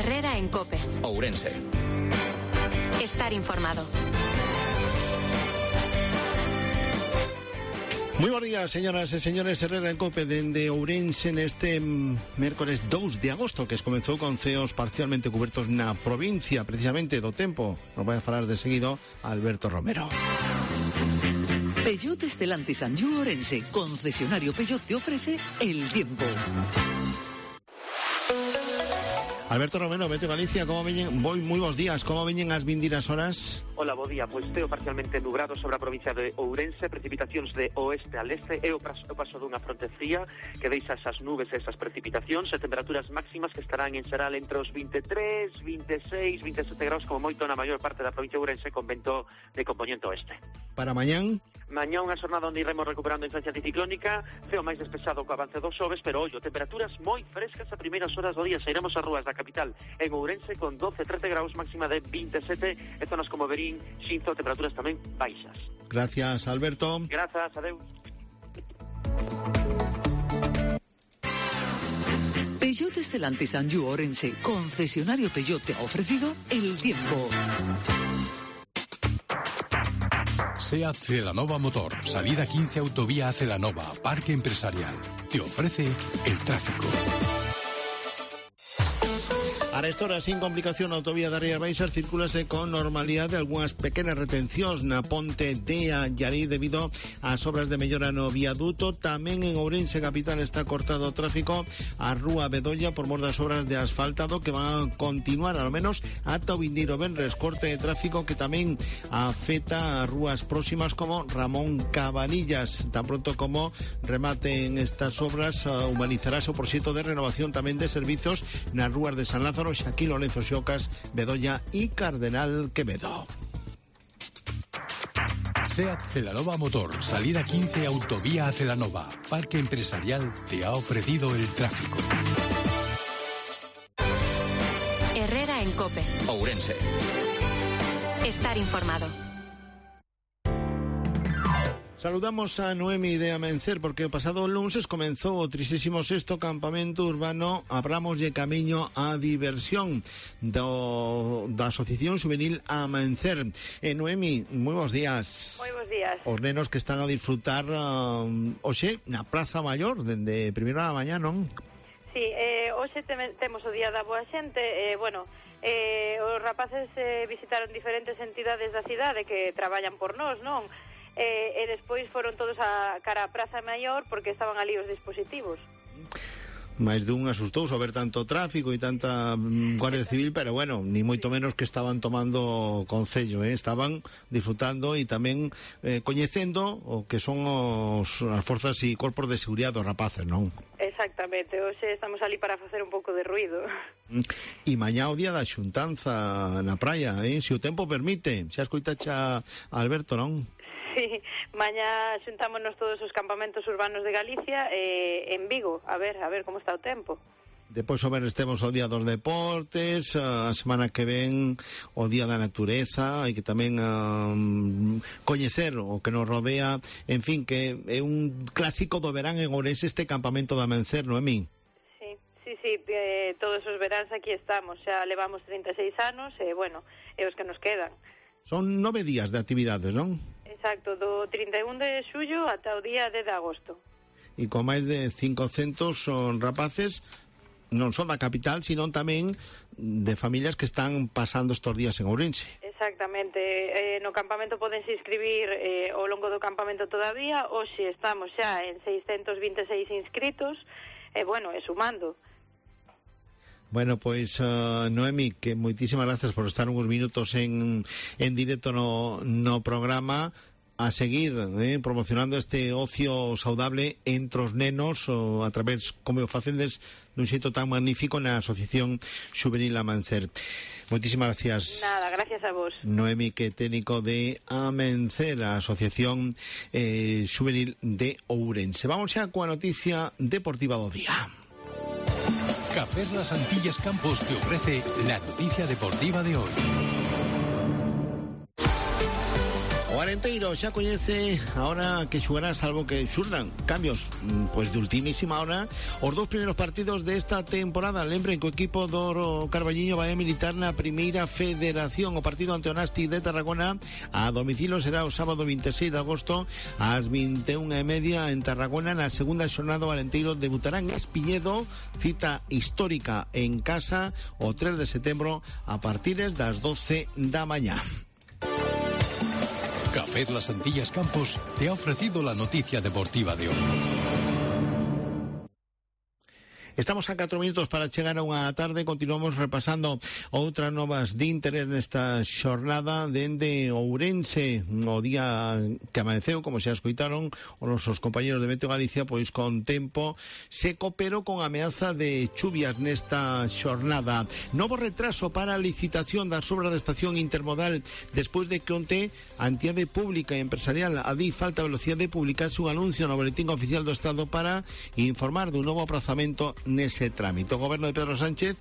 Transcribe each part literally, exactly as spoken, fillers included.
Herrera en COPE. Ourense. Estar informado. Moi bons días, señoras e señores. Herrera en COPE dende Ourense neste mércoles dous de agosto, que comezou con ceos parcialmente cubertos na provincia, precisamente do tempo. Nos vai a falar de seguido Alberto Romero. Peugeot Stellantis Anjou Ourense, concesionario Peugeot, te ofrece el tiempo. Alberto Romero, Meteo Galicia, como veñen, moi moi bons días, como veñen as vindeiras horas? Hola, bo día. Pois teo parcialmente nublado sobre a provincia de Ourense, precipitacións de oeste a leste e o paso, o paso dunha fronte fría que deixa esas nubes e esas precipitacións e temperaturas máximas que estarán en xeral entre os veintitrés, veintiséis, veintisiete graus como moito na maior parte da provincia de Ourense con vento de compoñente oeste. Para mañán? Mañá unha xornada onde iremos recuperando a influencia anticiclónica, ceo máis despexado co avance dos xoves, pero ollo, temperaturas moi frescas a primeiras horas do día. Sairemos ás rúas da capital en Ourense con doce, trece graus, máxima de veintisiete, e zonas como Verín, Xinzo, temperaturas tamén baixas. Gracias, Alberto. Grazas, adeus. Peugeot Stellantis Anjou Ourense, concesionario Peugeot, te ha ofrecido el tiempo. SEAT Celanova Motor, salida quince autovía a Celanova, Parque Empresarial. Te ofrece el tráfico. A esta hora, sin complicación, a autovía da Rías Baixas circúlase con normalidade. Algúas pequenas retencións na ponte de Allarí debido ás obras de mellora no viaduto. Tamén en Ourense capital está cortado o tráfico a Rúa Bedolla por mor das obras de asfaltado que van a continuar ao menos ata o vindeiro venres. Corte de tráfico que tamén afecta a rúas próximas como Ramón Cabanillas. Tan pronto como rematen estas obras, humanizarase o proxecto de renovación tamén de servizos nas rúas de San Lázaro, Xaquín Lorenzo Xocas, Bedolla y Cardenal Quevedo. SEAT Celanova Motor, salida quince autovía a Celanova, Parque Empresarial, te ha ofrecido el tráfico. Herrera en COPE. Ourense. Estar informado. Saludamos a Noemi de Amencer porque o pasado lunes comenzou o trigésimo sexto campamento urbano Abramos de Camiño a Diversión do, da Asociación Juvenil Amencer. E Noemi, moi bons días. Moi bons días. Os nenos que están a disfrutar um, hoxe na Praza Maior dende primeira da mañá, non? Sí, eh, hoxe te, temos o Día da Boa Xente, eh, bueno, eh, os rapaces eh, visitaron diferentes entidades da cidade que traballan por nós, non? E, e despois foron todos a cara a Praza Maior porque estaban ali os dispositivos. máis dun asustou ao ver tanto tráfico e tanta mm, Guardia Civil, pero bueno, ni moito menos que estaban tomando concello, eh? Estaban disfrutando e tamén eh, coñecendo o que son os, as forzas e corpos de seguridade dos rapaces, non? Exactamente, hoxe estamos ali para facer un pouco de ruido. E mañá o día da xuntanza na praia, eh? Se o tempo permite, xa escoitache a Alberto, non? Sí, mañá xuntámonos todos os campamentos urbanos de Galicia eh, en Vigo, a ver, a ver como está o tempo. Depois o ver estemos o Día dos Deportes, a semana que ven o Día da Natureza, hai que tamén um, coñecer o que nos rodea, en fin, que é un clásico do verán en Ourense este campamento de Amencer, Noemí? Sí, sí, sí, eh, todos os veráns aquí estamos, xa levamos trinta e seis anos, e eh, bueno, é os que nos quedan. Son nove días de actividades, non? Exacto, do trinta e un de xullo ata o día dez de agosto. E con máis de cincocentos son rapaces, non son da capital, sino tamén de familias que están pasando estos días en Ourense. Exactamente, eh, no campamento podense inscribir eh, ao longo do campamento todavía. Hoxe estamos xa en seiscentos veintiséis inscritos, e eh, bueno, e sumando. Bueno, pois, uh, Noemi, que moitísimas gracias por estar uns minutos en, en directo no, no programa, a seguir eh, promocionando este ocio saudable entre os nenos o a través, como o facendes, dun xeito tan magnífico na Asociación Juvenil Amencer. Moitísimas gracias. Nada, gracias a vos. Noemi, que técnico de Amencer, a Asociación eh, Juvenil de Ourense. Vamos xa coa noticia deportiva do día. Cafés Las Antillas Campos te ofrece la noticia deportiva de hoy. Ahora Alenteiro xa coñece a hora que xugará, salvo que xurdan cambios pois de ultimísima hora os dous primeiros partidos desta temporada. Lembren que o equipo do Carballiño vai a militar na primeira federación. O partido ante o Nasti de Tarragona a domicilio será o sábado vinte e seis de agosto ás vinte e unha e media en Tarragona. Na segunda xornada o Alenteiro debutará en Espiñedo, cita histórica en casa o tres de setembro a partir das doce da mañá. Café Las Antillas Campos te ha ofrecido la noticia deportiva de hoy. Estamos a catro minutos para chegar a unha tarde. Continuamos repasando outras novas de interés nesta xornada dende Ourense. O día que amaneceu, como xa escoitaron os nosos compañeros de Meteo Galicia, pois con tempo seco, pero con ameaza de chuvias nesta xornada. Novo retraso para a licitación das obras da estación intermodal despois de que onte a entidade pública e empresarial a D I F Alta Velocidade publicase un anuncio no Boletín Oficial do Estado para informar dun novo aprazamento nese trámite. O goberno de Pedro Sánchez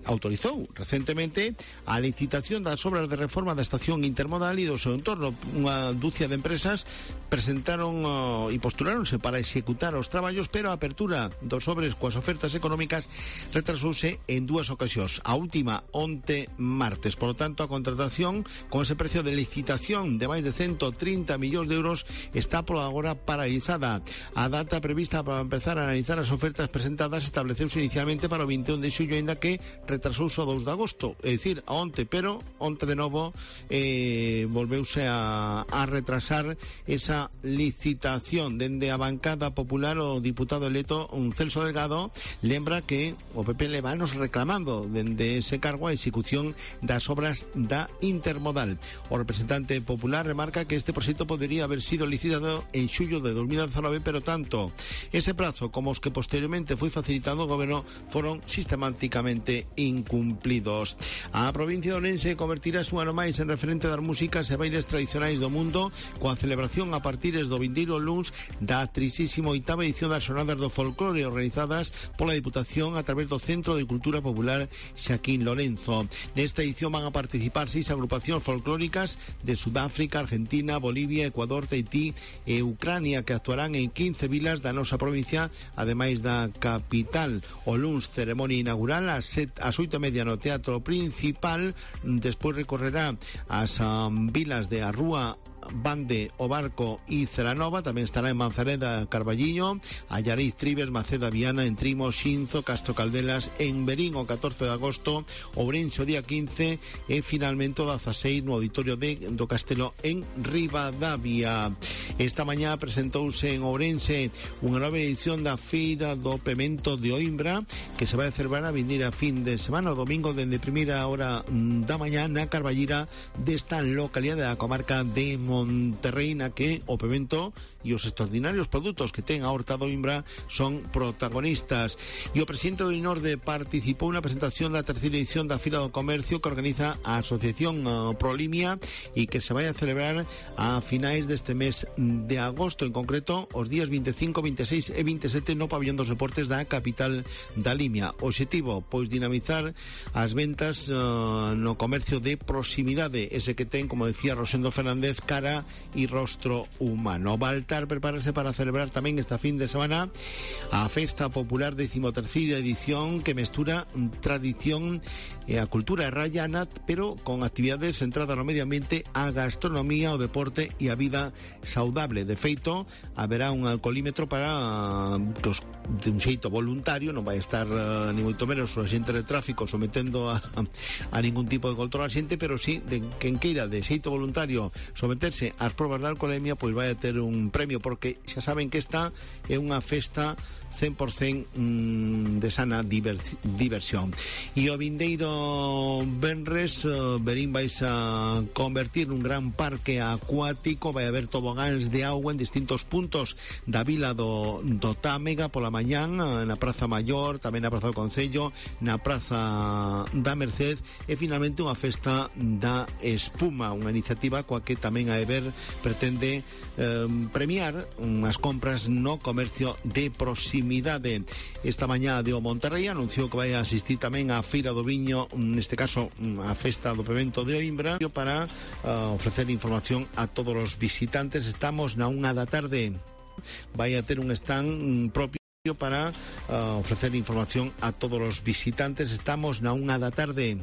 autorizou recentemente a licitación das obras de reforma da estación intermodal e do seu entorno. Unha dúcia de empresas presentaron uh, e postuláronse para executar os traballos, pero a apertura dos sobres coas ofertas económicas retrasouse en dúas ocasións. A última onte martes. Por lo tanto, a contratación con ese precio de licitación de máis de ciento trinta millóns de euros está por agora paralizada. A data prevista para empezar a analizar as ofertas presentadas estableceuse inicialmente para o vinte e un de xullo, aínda que retrasouse o dous de agosto, é dicir, a onte, pero onte de novo eh, volveuse a, a retrasar esa licitación. Dende a bancada popular, o diputado electo un Celso Delgado lembra que o P P le vanos reclamando dende ese cargo a execución das obras da intermodal. O representante popular remarca que este proxecto podería haber sido licitado en xullo de dos mil dezanove, pero tanto ese prazo como os que posteriormente foi facilitado ao goberno foron sistemáticamente incumplidos. A provincia de Ourense convertirase un ano máis en referente das músicas e bailes tradicionais do mundo coa celebración a partir do vindeiro luns da trisísima oitava edición das Xornadas do Folclore organizadas pola Diputación a través do Centro de Cultura Popular Xaquín Lorenzo. Nesta edición van a participar seis agrupacións folclóricas de Sudáfrica, Argentina, Bolivia, Ecuador, Tahití e Ucrania, que actuarán en quince vilas da nosa provincia, ademais da capital. O luns ceremonia inaugural ás sete ás oito e media no Teatro Principal. Despois recorrerá as um, vilas de Arrúa, Bande, O Barco e Celanova. Tamén estará en Manzaneda, Carballiño, Allariz, Tribes, Maceda, Viana, en Trimo, Xinzo, Castro Caldelas, en Berín o catorce de agosto, Ourense o día quince e finalmente o dezaseis no auditorio de, do Castelo en Ribadavia. Esta mañá presentouse en Ourense unha nova edición da Feira do Pemento de Oimbra, que se vai a celebrar a vindeira fin de semana, o domingo dende primeira hora da mañá na Carballira desta localidade da comarca de Monterrey, na que o pemento e os extraordinarios produtos que ten a horta do Oimbra son protagonistas. E o presidente do INORDE participou na presentación da terceira edición da Fira do Comercio que organiza a Asociación Prolimia e que se vai a celebrar a finais deste mes de agosto, en concreto os días vinte e cinco, vinte e seis e vinte e sete no Pabillón dos Deportes da capital da Limia. O obxectivo, pois, dinamizar as ventas uh, no comercio de proximidade, ese que ten, como decía Rosendo Fernández, cara e rostro humano. Baltar prepárase para celebrar tamén esta fin de semana a Festa Popular decimoterceira edición, que mestura tradición e a cultura rayana, pero con actividades centradas no medio ambiente, a gastronomía, o deporte e a vida saudable. De feito, haberá un alcoholímetro para pues, de un xeito voluntario, non vai estar uh, ni moito menos o xente de tráfico sometendo a, a ningún tipo de control a xente, pero sí, de quen queira de xeito voluntario someterse ás probas de alcoholemia, pois vai a ter un premio, porque xa saben que esta é unha festa cen por cen mm, de sana divers, diversión. E o vindeiro venres uh, Berín vais a convertir nun gran parque acuático. Vai haber tobogáns de auga en distintos puntos da vila do, do Támega pola mañán, na Praza Maior, tamén na Praza do Concello, na Praza da Merced, e finalmente unha festa da espuma, unha iniciativa coa que tamén a Eber pretende eh, premiar premiar as compras no comercio de proximidade. Esta mañá de O Monterrey anunciou que vai asistir tamén á Feira do Viño, neste caso a Festa do Pemento de Oimbra, para uh, ofrecer información a todos os visitantes. Estamos na unha da tarde. Vai a ter un stand propio para uh, ofrecer información a todos os visitantes. Estamos na unha da tarde.